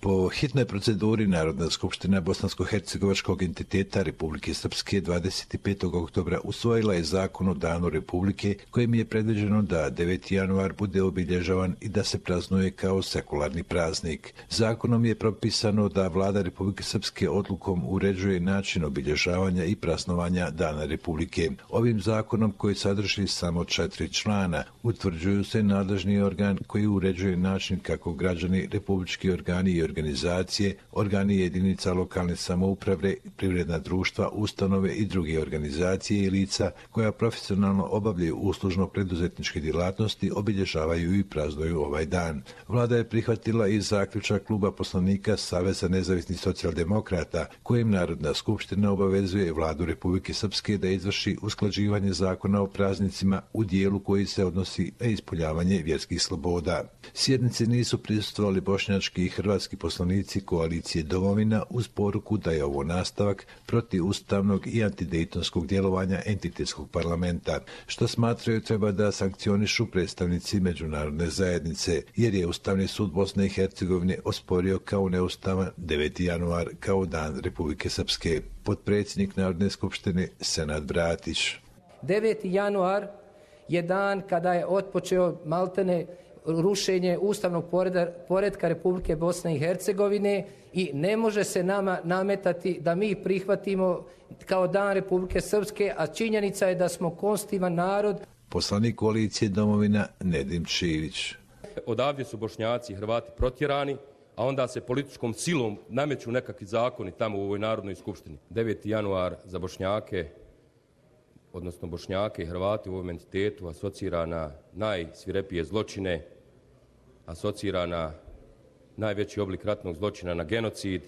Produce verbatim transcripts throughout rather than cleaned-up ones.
Po hitnoj proceduri Narodna skupština Bosansko-hercegovačkog entiteta Republike Srpske dvadeset petog oktobra usvojila je zakon o Danu Republike kojim je predviđeno da deveti januar bude obilježavan i da se praznuje kao sekularni praznik. Zakonom je propisano da Vlada Republike Srpske odlukom uređuje način obilježavanja i praznovanja Dana Republike. Ovim zakonom, koji sadrži samo četiri člana, utvrđuju se nadležni organ koji uređuje način kako građani, republički organi i organizacije, organi jedinica lokalne samouprave, privredna društva, ustanove i druge organizacije i lica koja profesionalno obavljaju uslužno preduzetničke djelatnosti obilježavaju i praznuju ovaj dan. Vlada je prihvatila i zaključak kluba poslanika Saveza nezavisnih socijaldemokrata kojim Narodna skupština obavezuje Vladu Republike Srpske da izvrši usklađivanje zakona o praznicima u dijelu koji se odnosi na ispoljavanje vjerskih sloboda. Sjednici nisu prisustvovali bošnjački i hrvatski poslanici koalicije Domovina uz poruku da je ovo nastavak protivustavnog i antidejtonskog djelovanja entitetskog parlamenta, što smatraju treba da sankcionišu predstavnici međunarodne zajednice, jer je Ustavni sud Bosne i Hercegovine osporio kao neustavan deveti januar kao Dan Republike Srpske. Potpredsjednik Narodne skupštine Senad Bratić. deveti januar je dan kada je otpočeo maltene rušenje ustavnog poretka Republike Bosne i Hercegovine i ne može se nama nametati da mi prihvatimo kao Dan Republike Srpske, a činjenica je da smo konstitutivan narod. Poslanik koalicije Domovina Nedim Čivić. Odavdje su Bošnjaci i Hrvati protjerani, a onda se političkom silom nameću nekakvi zakoni tamo u ovoj Narodnoj skupštini. deveti januar za Bošnjake, odnosno Bošnjake i Hrvati u ovom entitetu asocira na najsvirepije zločine, asocira na najveći oblik ratnog zločina, na genocid.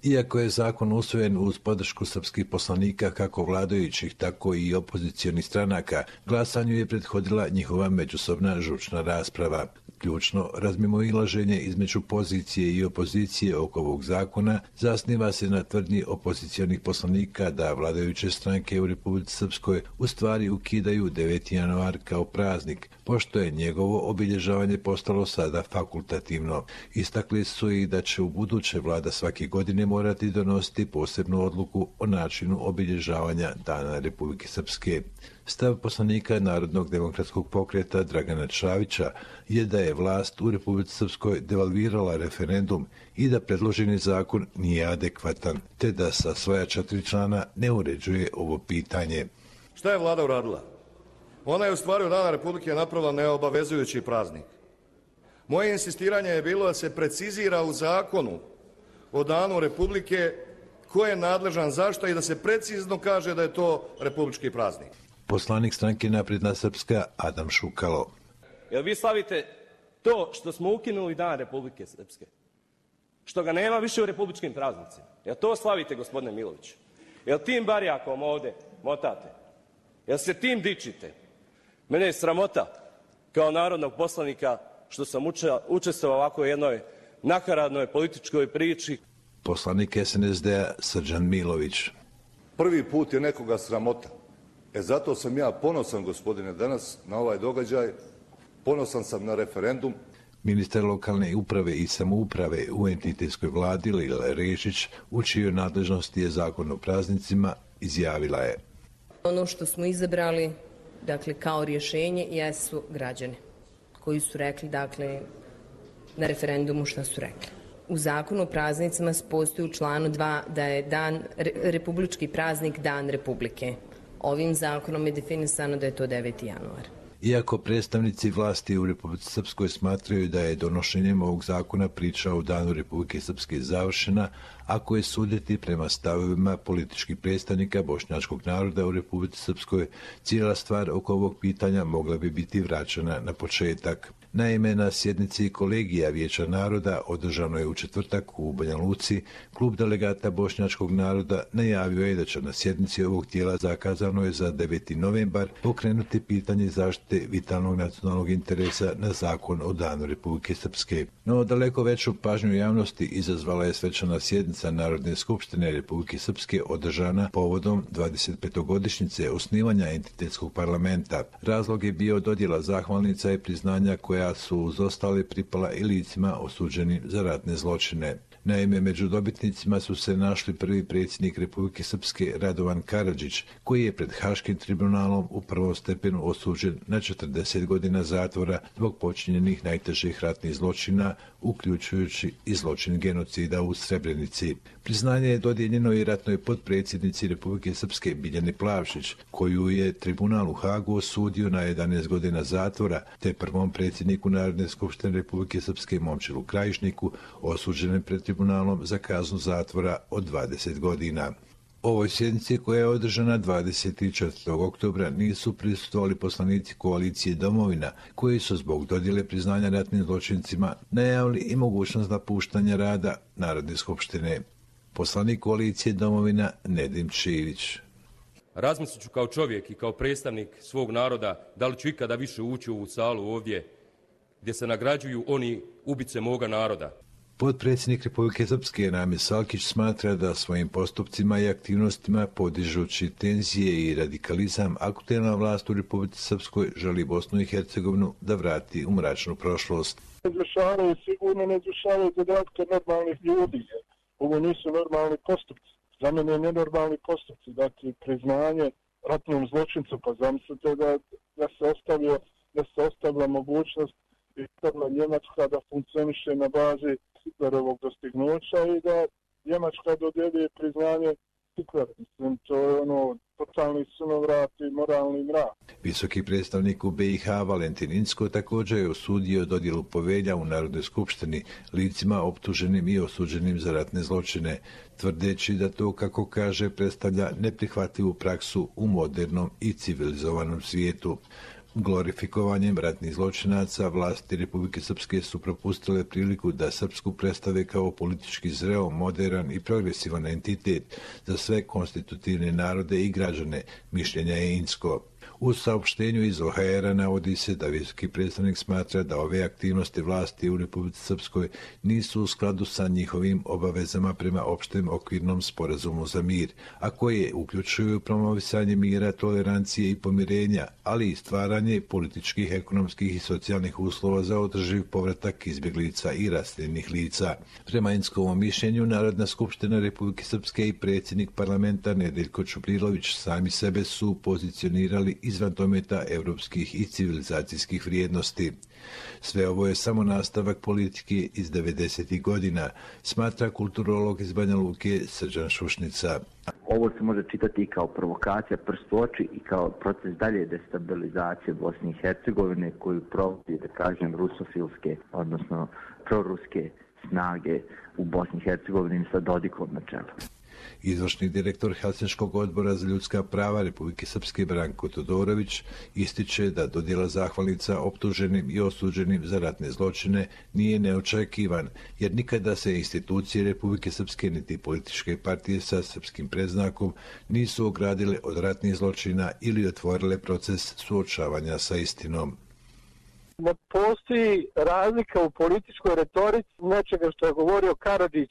Iako je zakon usvojen uz podršku srpskih poslanika kako vladajućih, tako i opozicionih stranaka, glasanju je prethodila njihova međusobna žučna rasprava. Ključno razmimoilaženje između pozicije i opozicije oko ovog zakona zasniva se na tvrdnji opozicionih poslanika da vladajuće stranke u Republici Srpskoj u stvari ukidaju deveti januar kao praznik, pošto je njegovo obilježavanje postalo sada fakultativno. Istakli su i da će u buduće vlada svake godine morati donositi posebnu odluku o načinu obilježavanja Dana Republike Srpske. Stav poslanika Narodnog demokratskog pokreta Dragana Čavića je da je vlast u Republici Srpskoj devalvirala referendum i da predloženi zakon nije adekvatan, te da sa svoja četiri člana ne uređuje ovo pitanje. Šta je vlada uradila? Ona je u stvari od Dana Republike napravila neobavezujući praznik. Moje insistiranje je bilo da se precizira u zakonu o Danu Republike ko je nadležan zašto i da se precizno kaže da je to republički praznik. Poslanik stranke Napredna Srpska Adam Šukalo. Jel vi slavite to što smo ukinuli Dan Republike Srpske? Što ga nema više u republičkim praznicima? Jel to slavite, gospodine Milović? Jel tim barjakom ovde motate? Jel se tim dičite? Mene je sramota kao narodnog poslanika što sam učestvovao ovako jednoj nakaradnoj političkoj priči. Poslanik S N S D-a Srđan Milović. Prvi put je nekoga sramota. E zato sam ja ponosan, gospodine, danas na ovaj događaj. Ponosan sam na referendum. Ministar lokalne uprave i samouprave u entitetskoj vladi Lila Rešić, u čijoj nadležnosti je zakon o praznicima, izjavila je. Ono što smo izabrali, dakle, kao rješenje jesu građani koji su rekli, dakle, na referendumu šta su rekli. U zakonu o praznicima postoji u članu dva da je dan, republički praznik Dan Republike. Ovim zakonom je definisano da je to deveti januar. Iako predstavnici vlasti u Republici Srpskoj smatraju da je donošenjem ovog zakona priča o Danu Republike Srpske završena, ako je suditi prema stavovima političkih predstavnika bošnjačkog naroda u Republici Srpskoj, cijela stvar oko ovog pitanja mogla bi biti vraćena na početak. Naime, na sjednici kolegija Vijeća naroda održano je u četvrtak u Banja Luci, klub delegata bošnjačkog naroda najavio je da će na sjednici ovog tijela zakazano je za deveti novembar pokrenuti pitanje zaštite vitalnog nacionalnog interesa na zakon o Danu Republike Srpske. No, daleko veću pažnju javnosti izazvala je svečana sjednica Narodne skupštine Republike Srpske održana povodom dvadesetpetogodišnjice osnivanja entitetskog parlamenta. Razlog je bio dodjela zahvalnica i priznanja koja su uz ostale pripala i licima osuđeni za ratne zločine. Naime, među dobitnicima su se našli prvi predsjednik Republike Srpske Radovan Karadžić, koji je pred Haškim tribunalom u prvom stepenu osuđen na četrdeset godina zatvora zbog počinjenih najtežih ratnih zločina, uključujući i zločin genocida u Srebrenici. Priznanje je dodijeljeno i ratnoj potpredsjednici Republike Srpske Biljani Plavšić, koju je tribunal u Hagu osudio na jedanaest godina zatvora, te prvom predsjedniku Narodne skupštine Republike Srpske Momčilu Krajišniku, osuđenom pred tribunalom za kaznu zatvora od dvadeset godina. Ovoj sjednici, koja je održana dvadeset četvrtog oktobra, nisu prisustvovali poslanici koalicije Domovina, koji su zbog dodjele priznanja ratnim zločincima najavili i mogućnost napuštanja rada Narodne skupštine. Poslanik koalicije Domovina Nedim Čilić. Razmislit ću kao čovjek i kao predstavnik svog naroda da li ću ikada više ući u ovu salu ovdje gdje se nagrađuju oni ubice moga naroda. Potpredsjednik Republike Srpske Namir Salkić smatra da svojim postupcima i aktivnostima, podižući tenzije i radikalizam, aktuelna vlast u Republici Srpskoj želi Bosnu i Hercegovinu da vrati u mračnu prošlost. Izvršavaju sigurno ne izvršavaju zadatke normalnih ljudi. Ovo nisu normalni postupci. Za mene je nenormalni postupci. Dakle, priznanje ratnom zločincu, pa zamislite da, da se ostavio, da se ostavila mogućnost Hitlerna Njemačka da funkcioniše na bazi Hitlerovog dostignuća i da Njemačka dodjeljuje priznanje Hitleru. Mislim, to je ono totalni sunovrat i moralni mrak. Visoki predstavnik u B i H Valentin Incko također je osudio dodjelu povelja u Narodnoj skupštini licima optuženim i osuđenim za ratne zločine, tvrdeći da to, kako kaže, predstavlja neprihvatljivu praksu u modernom i civilizovanom svijetu. Glorifikovanjem ratnih zločinaca vlasti Republike Srpske su propustile priliku da Srpsku predstave kao politički zreo, moderan i progresivan entitet za sve konstitutivne narode i građane, mišljenja je Incko. U saopštenju iz O H R-a navodi se da visoki predstavnik smatra da ove aktivnosti vlasti u Republici Srpskoj nisu u skladu sa njihovim obavezama prema opštem okvirnom sporazumu za mir, a koje uključuju promovisanje mira, tolerancije i pomirenja, ali i stvaranje političkih, ekonomskih i socijalnih uslova za održiv povratak izbjeglica i raseljenih lica. Prema Inckovom mišljenju, Narodna skupština Republike Srpske i predsjednik parlamenta Nedeljko Čubrilović sami sebe su pozicionirali izvan dometa evropskih i civilizacijskih vrijednosti. Sve ovo je samo nastavak politike iz devedesetih godina, smatra kulturolog iz Banja Luke Srđan Šušnica. Ovo se može čitati i kao provokacija prst u oči i kao proces dalje destabilizacije Bosne i Hercegovine koju provodi, da kažem, rusofilske, odnosno proruske snage u Bosni i Hercegovini sa Dodikom na čelu. Izvršni direktor Helsinškog odbora za ljudska prava Republike Srpske Branko Todorović ističe da dodjela zahvalnica optuženim i osuđenim za ratne zločine nije neočekivan, jer nikada se institucije Republike Srpske niti političke partije sa srpskim predznakom nisu ogradile od ratnih zločina ili otvorile proces suočavanja sa istinom. Ne postoji razlika u političkoj retorici nečega što je govorio Karadžić,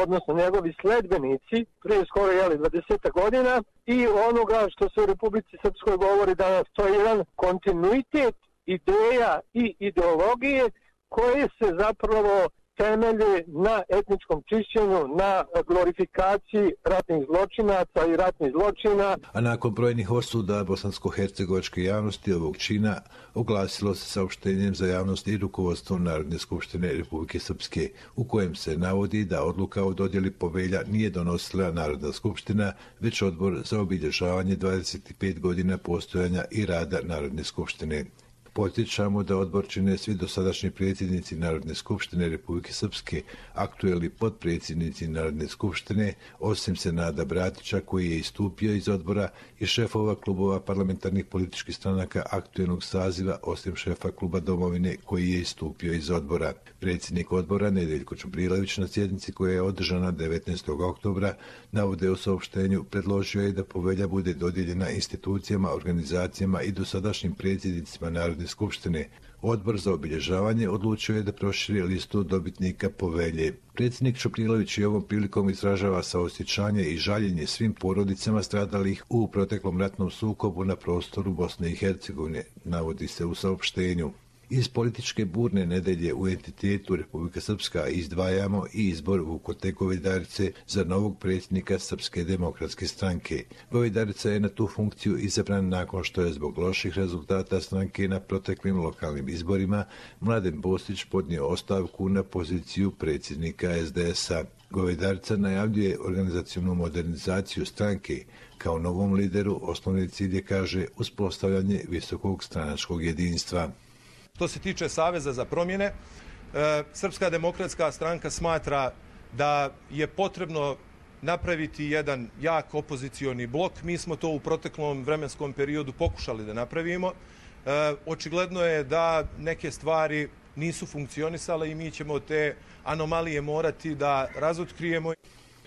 odnosno njegovi sledbenici, prije skoro jeli dvadeset godina, i onoga što se u Republici Srpskoj govori danas. To je jedan kontinuitet ideja i ideologije koje se zapravo temelje na etničkom čišćenju, na glorifikaciji ratnih zločinaca i ratnih zločina. A nakon brojnih osuda bosansko-hercegovačke javnosti ovog čina oglasilo se saopštenjem za javnost i rukovodstvo Narodne skupštine Republike Srpske, u kojem se navodi da odluka o dodjeli povelja nije donosila Narodna skupština, već odbor za obilježavanje dvadeset pet godina postojanja i rada Narodne skupštine. Podsjećamo da odbor čine svi dosadašnji predsjednici Narodne skupštine Republike Srpske, aktuelni potpredsjednici Narodne skupštine, osim Senada Bratića koji je istupio iz odbora, i šefova klubova parlamentarnih političkih stranaka aktuelnog saziva, osim šefa kluba Domovine koji je istupio iz odbora. Predsjednik odbora Nedeljko Čubrilović na sjednici koja je održana devetnaestog oktobra navode u saopštenju predložio je da povelja bude dodijeljena institucijama, organizacijama i dosadašnjim predsjednicima Narodne skupštine. Odbor za obilježavanje odlučio je da proširi listu dobitnika povelje. Predsjednik Čubrilović i ovom prilikom izražava saosjećanje i žaljenje svim porodicama stradalih u proteklom ratnom sukobu na prostoru Bosne i Hercegovine, navodi se u saopštenju. Iz političke burne nedelje u entitetu Republika Srpska izdvajamo i izbor Vukote Govedarice za novog predsjednika Srpske demokratske stranke. Govedarica je na tu funkciju izabran nakon što je zbog loših rezultata stranke na proteklim lokalnim izborima Mladen Bostić podnio ostavku na poziciju predsjednika es de es-a. Govedarica najavljuje organizacionu modernizaciju stranke. Kao novom lideru osnovni cilj je, kaže, uspostavljanje visokog stranačkog jedinstva. Što se tiče Saveza za promjene, Srpska demokratska stranka smatra da je potrebno napraviti jedan jak opozicioni blok. Mi smo to u proteklom vremenskom periodu pokušali da napravimo. Očigledno je da neke stvari nisu funkcionisale i mi ćemo te anomalije morati da razotkrijemo.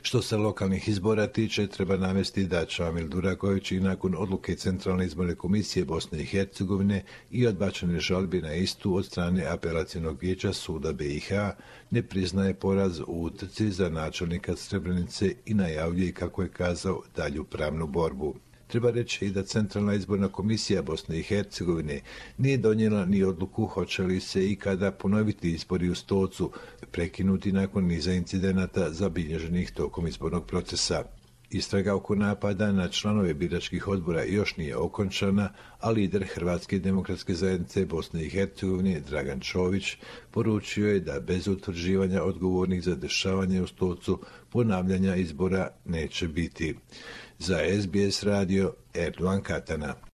Što se lokalnih izbora tiče, treba navesti da Čamil Duraković i nakon odluke Centralne izborne komisije Bosne i Hercegovine i odbačene žalbi na istu od strane apelacionog vijeća suda be i ha ne priznaje poraz u utrci za načelnika Srebrenice i najavljuje, kako je kazao, dalju pravnu borbu. Treba reći i da Centralna izborna komisija Bosne i Hercegovine nije donijela ni odluku hoće li se i kada ponoviti izbori u Stocu, prekinuti nakon niza incidenata zabilježenih tokom izbornog procesa. Istraga oko napada na članove biračkih odbora još nije okončana, a lider Hrvatske demokratske zajednice Bosne i Hercegovine Dragan Čović poručio je da bez utvrđivanja odgovornih za dešavanje u Stocu ponavljanja izbora neće biti. Za es be es radio, Erdogan Katana.